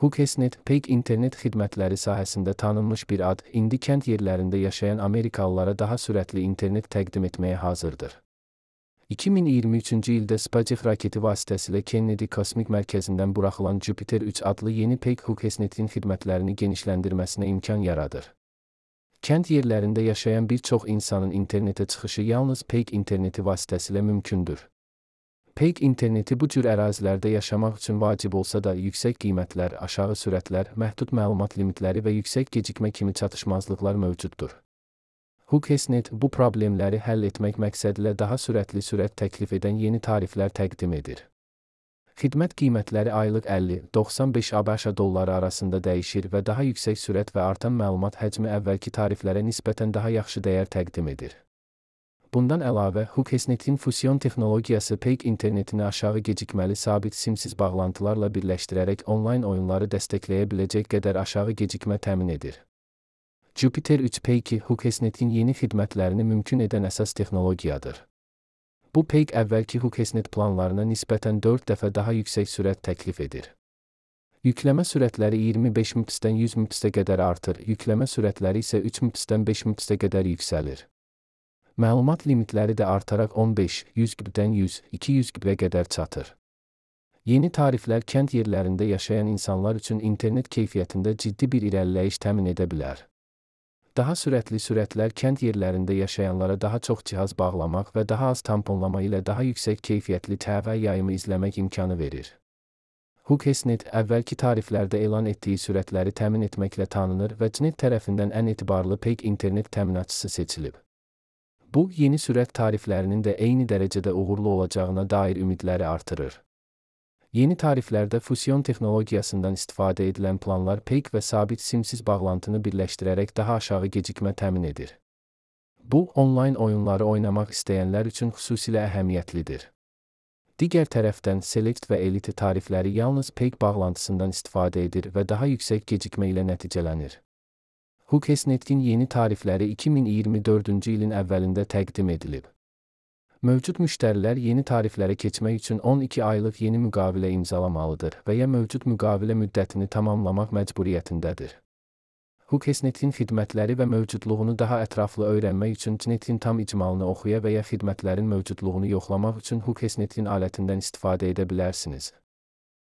Hooksnet, Peak internet xidmətləri sahəsində tanınmış bir ad, indi kənd yerlərində yaşayan Amerikalılara daha sürətli internet təqdim etməyə hazırdır. 2023-cü ildə SpaceX raketi vasitəsilə Kennedy Kosmik Mərkəzindən buraxılan Jupiter 3 adlı yeni Peak Hooksnetin xidmətlərini genişləndirməsinə imkan yaradır. Kənd yerlərində yaşayan bir çox insanın internetə çıxışı yalnız Peak interneti vasitəsilə mümkündür. Peak interneti bu cür ərazilərdə yaşamaq üçün vacib olsa da, yüksək qiymətlər, aşağı sürətlər, məhdud məlumat limitləri və yüksək gecikmə kimi çatışmazlıqlar mövcuddur. Hooksnet bu problemləri həll etmək məqsədilə daha sürətli sürət təklif edən yeni tariflər təqdim edir. Xidmət qiymətləri aylıq 50-95 ABŞ dolları arasında dəyişir və daha yüksək sürət və artan məlumat həcmi əvvəlki tariflərə nisbətən daha yaxşı dəyər təqdim edir. Bundan əlavə, Hooksnetin fusion texnologiyası Peak internetini aşağı gecikməli sabit simsiz bağlantılarla birləşdirərək onlayn oyunları dəstəkləyə biləcək qədər aşağı gecikmə təmin edir. Jupiter 3 Peak'i Hooksnetin yeni xidmətlərini mümkün edən əsas texnologiyadır. Bu Peak əvvəlki Hooksnet planlarına nisbətən 4 dəfə daha yüksək sürət təklif edir. Yükləmə sürətləri 25 mbps-dən 100 mbps-ə qədər artır, yükləmə sürətləri isə 3 mbps-dən 5 mbps-ə qədər yüksəlir. Məlumat limitləri də artaraq 15-100 GB-dən 100-200 GB-ə qədər çatır. Yeni tariflər kənd yerlərində yaşayan insanlar üçün internet keyfiyyətində ciddi bir irəliləyiş təmin edə bilər. Daha sürətli sürətlər kənd yerlərində yaşayanlara daha çox cihaz bağlamaq və daha az tamponlama ilə daha yüksək keyfiyyətli TV yayımı izləmək imkanı verir. Hooksnet əvvəlki tariflərdə elan etdiyi sürətləri təmin etməklə tanınır və CNET tərəfindən ən etibarlı Peak internet təminatçısı seçilib. Bu, yeni sürət tariflərinin də eyni dərəcədə uğurlu olacağına dair ümidləri artırır. Yeni tariflərdə fusion texnologiyasından istifadə edilən planlar Peak və sabit simsiz bağlantını birləşdirərək daha aşağı gecikmə təmin edir. Bu, onlayn oyunları oynamaq istəyənlər üçün xüsusilə əhəmiyyətlidir. Digər tərəfdən, Select və Elite tarifləri yalnız Peak bağlantısından istifadə edir və daha yüksək gecikmə ilə nəticələnir. Hooksnetin yeni tarifləri 2024-cü ilin əvvəlində təqdim edilib. Mövcud müştərilər yeni tariflərə keçmək üçün 12 aylıq yeni müqavilə imzalamalıdır və ya mövcud müqavilə müddətini tamamlamaq məcburiyyətindədir. Hooksnetin xidmətləri və mövcudluğunu daha ətraflı öyrənmək üçün CNET-in tam icmalını oxuya və ya xidmətlərin mövcudluğunu yoxlamaq üçün Hooksnetin alətindən istifadə edə bilərsiniz.